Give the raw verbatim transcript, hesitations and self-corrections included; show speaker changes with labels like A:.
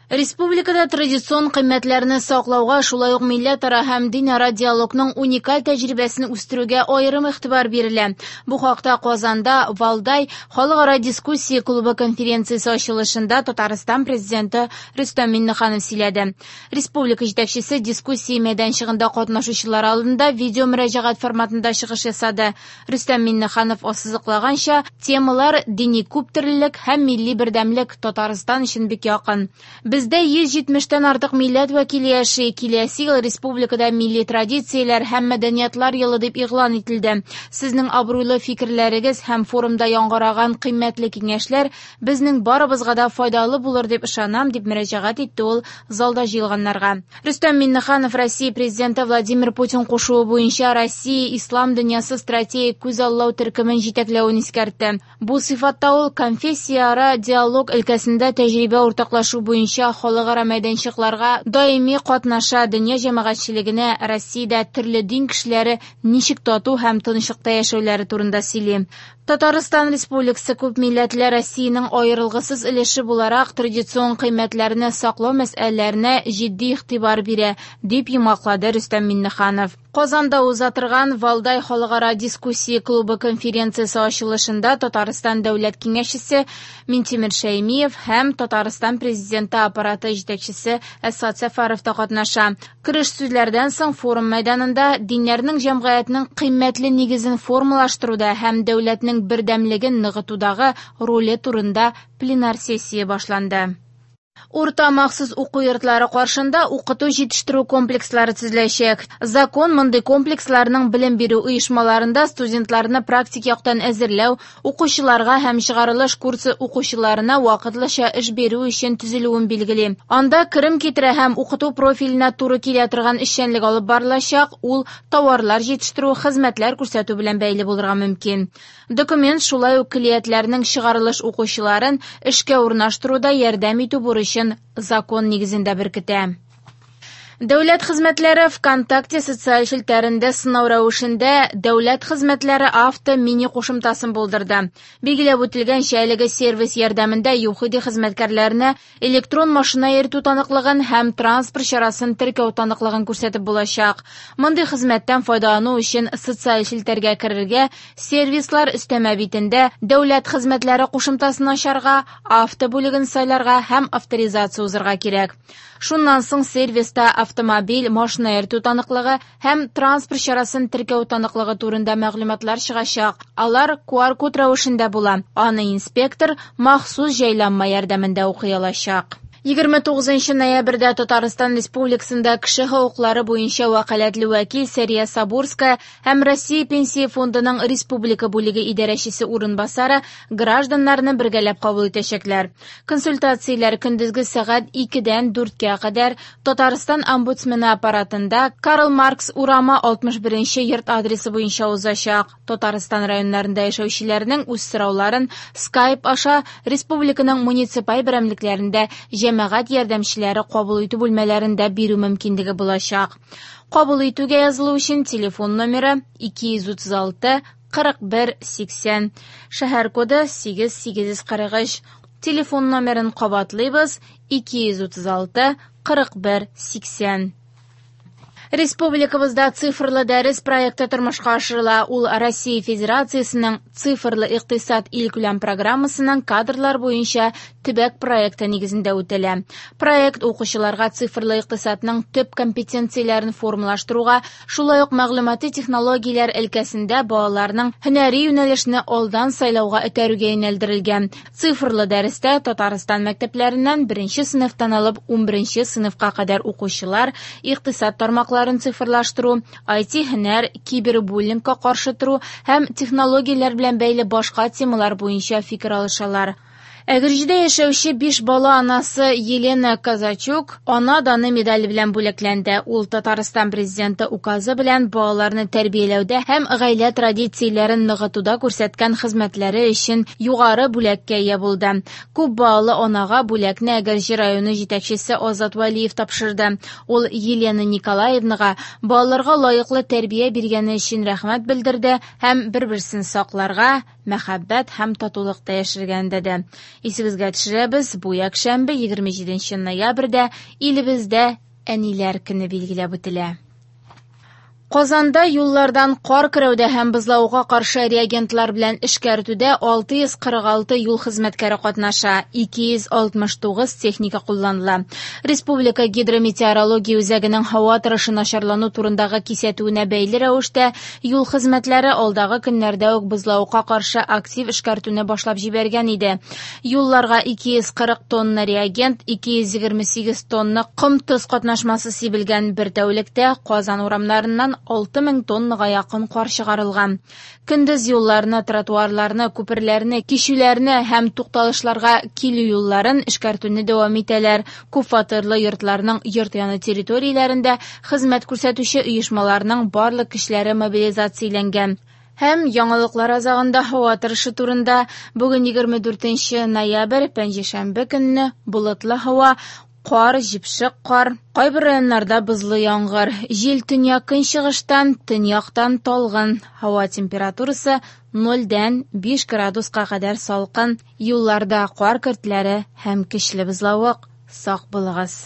A: Республикада традицион кыйммәтләрне саклауга, шулай ук милләтара һәм динара диалогның уникаль тәҗрибәсен үстерүгә аерым игътибар бирелә. Бу хакта Казанда Валдай халыкара дискуссия клубы конференциясе ачылышында Татарстан президенты Рөстәм Миңнеханов сөйләде. Республика җитәкчесе дискуссия мәйданчыгында катнашучылар алдында видео мөрәҗәгать форматында чыгыш ясады. Рөстәм Миңнеханов ассызыклаганча, темалар дини күптөрлелек һәм милли бердәмлек Татарстан өчен бик якын. Бездә йөз җитмештән артык милләт вәкиле яши. Киләсе ел республикада милли традицияләр һәм мәдәниятлар елы дип игълан ителде. Сезнең абруйлы фикерләрегез һәм форумда яңгыраган кыйммәтле киңәшләр безнең барыбызга да файдалы булыр дип ышанам, дип мөрәҗәгать итте ул залда җыелганнарга. Рөстәм Миңнеханов Россия президенты Владимир Путин кушуы буенча Россия ислам дөньясы стратегик күзаллау төркемен җитәкләвен искәртте. Бу сыйфатта ул конфессияара диалог өлкәсендә тәҗрибә уртаклашу буенча халыкара мәйданчыкларга даими катнаша, дөнья җәмәгатьчелегенә Россиядә төрле дин кешеләре ничек тату һәм тынычлыкта яшәүләре турында сөйли. Татарстан Республикасы күп милләтле Россиянең аерылгысыз өлеше буларак традицион кыйммәтләрне саклау мәсьәләләренә җитди игътибар бирә, дип йомгаклады Рөстәм Миңнеханов. Казанда уза торган Валдай халыкара дискуссия клубы конференциясе ачылышында Татарстан Дәүләт Киңәшчесе Минтимер Шәймиев һәм Татарстан Президенты аппараты җитәкчесе Әсгать Сәфәров та катнаша. Кереш сүзләрдән соң форум мәйданында диннәрнең җәмгыятьнең кыйммәтле нигезен формалаштыруда һәм дәүләтнең бердәмлеген ныгытудагы роле турында пленар сессия башланды. Урта махсус уку йортлары каршында укыту җитештерү комплекслары төзеләчәк. Закон мондый комплексларның белем бирү оешмаларында студентларны практик яктан әзерләү, укучыларга һәм чыгарылыш курсы укучыларына вакытлыча эш бирү өчен төзелүен билгели. Анда керем китерә һәм укыту профиленә туры килә торган эшчәнлек алып барылачак, ул товарлар җитештерү, хезмәтләр күрсәтү белән бәйле булырга мөмкин. Документ шулай ук көллиятләрнең чыгарылыш укучыларын эшкә урнаштыруда ярдәм итү бурычын закон нигезендә беркетә. Дәүләт хезмәтләре ВКонтакте социаль челтәрендә сынау рәвешендә Дәүләт хезмәтләре авто мини кушымтасын булдырды. Билгеләп үтелгәнчә, әлеге сервис ярдәмендә ЮХИДИ хезмәткәрләренә электрон машина йөртү таныклыгын һәм транспорт чарасын теркәү таныклыгын күрсәтеп булачак. Мондый хезмәттән файдалану өчен социаль челтәргә керергә, сервислар өстәмә битендә Дәүләт хезмәтләре кушымтасын ачарга, авто бүлеген сайларга һәм авторизация узырга кирәк. Шуннан соң сервиста автомобиль, машина йөртү таныклыгы һәм транспорт чарасын теркәү таныклыгы турында мәгълүматлар чыгачак. Алар Q R код рәвешендә була. Аны инспектор махсус җайланма ярдәмендә укый алачак. Егерме тугызынчы ноябрьдә Татарстан Республикасында кеше хокуклары буенча вәкаләтле вәкил Сәрия Сабурская һәм Россия Пенсия фондының республика бүлеге идарәчесе урынбасары гражданнарны бергәләп кабул итәчәкләр. Консультацияләр көндезге сәгать икедән дүрткә кадәр Татарстан омбудсмены аппаратында Карл Маркс урамы алтмыш беренче йорт адресы буенча узачак. Татарстан районнарында яшәүчеләрнең үз сорауларын Skype аша республиканың муниципаль берәмлекләрендә җәмәгать ярдәмчеләре кабул итү бүлмәләрендә бирү мөмкинлеге булачак. Кабул итүгә язылу өчен телефон номеры ике йөз утыз алты кырык бер сиксән, шәһәр коды сигез сигез йөз кырык өч. Телефон номерын кабатлыйбыз: ике йөз утыз алты кырык бер сиксән. Республикабызда цифрлы дәрес проекты тормышка ашырыла. Ул Россия Федерациясының цифрлы икътисад илкүләм программасының кадрлар буенча төбәк проекты нигезендә үтәлә. Проект укучыларга цифрлы икътисадның төп компетенцияләрен формалаштыруга, шулай ук мәгълүмати технологияләр өлкәсендә балаларның һөнәри юнәлешне алдан сайлауга этәрүгә юнәлдерелгән. Цифрлы дәрестә Татарстан мәктәпләреннән беренче сыйныфтан алып унберенче сыйныфка кадәр укучылар икътисад тармаклары цифрлаштыру, ай ти һөнәр, кибербуллингка каршы тору һәм технологияләр белән бәйле башка темалар буенча фикер алышалар. Әгерҗедә яшәүче биш бала анасы Елена Казачук ана даны медале белән бүләкләнде. Ул Татарстан президенты указы белән балаларны тәрбияләүдә һәм гаилә традицияләрен ныгытуда күрсәткән хезмәтләре өчен югары бүләккә ия булды. Күп балалы анага бүләкне Әгерҗе районы җитәкчесе Азат Вәлиев тапшырды. Ул Елена Николаевнага балаларга лаеклы тәрбия биргәне өчен рәхмәт белдерде һәм бер-берсен сакларга, мәхәббәт һәм татулыкта яшәргә өндәде. Исегезгә төшерәбез, бу якшәмбе егерме җиденче ноябрьдә илебездә Әниләр көне билгеләп үтелә. Казанда юллардан кар көрәүдә һәм бозлавыкка каршы реагентлар белән эшкәртүдә алты йөз кырык алты юл хезмәткәре катнаша, ике йөз алтмыш тугыз техника кулланыла. Республика гидрометеорология үзәгенең һава торышы начарлану турындагы кисәтүенә бәйле рәвештә юл хезмәтләре алдагы көннәрдә үк бозлавыкка каршы актив эшкәртүне башлап җибәргән иде. Юлларга ике йөз кырык тонна реагент, ике йөз егерме сигез тонна ком-тоз катнашмасы сибелгән. Бер тәүлектә Казан урамнарыннан алты мең тоннага якын кар чыгарылган. Көндез юлларны, тротуарларны, күперләрне, кичүләрне һәм тукталышларга килү юлларын эшкәртүне дәвам итәләр. Күпфатирлы йортларның йорт яны территорияләрендә хезмәт күрсәтүче оешмаларның барлык көчләре мобилизацияләнгән. Һәм яңалыклар азагында һава торышы турында. Бүген егерме дүртенче ноябрь, пәнҗешәмбе көнне болытлы һава, кар, җепшек кар, кайбер районнарда бозлы яңгыр. Җил төньяк-көнчыгыштан, төньяктан талгын. Һава температурасы нольдән биш градуска кадәр салкын. Юлларда кар көртләре һәм көчле бозлавык. Сак булыгыз.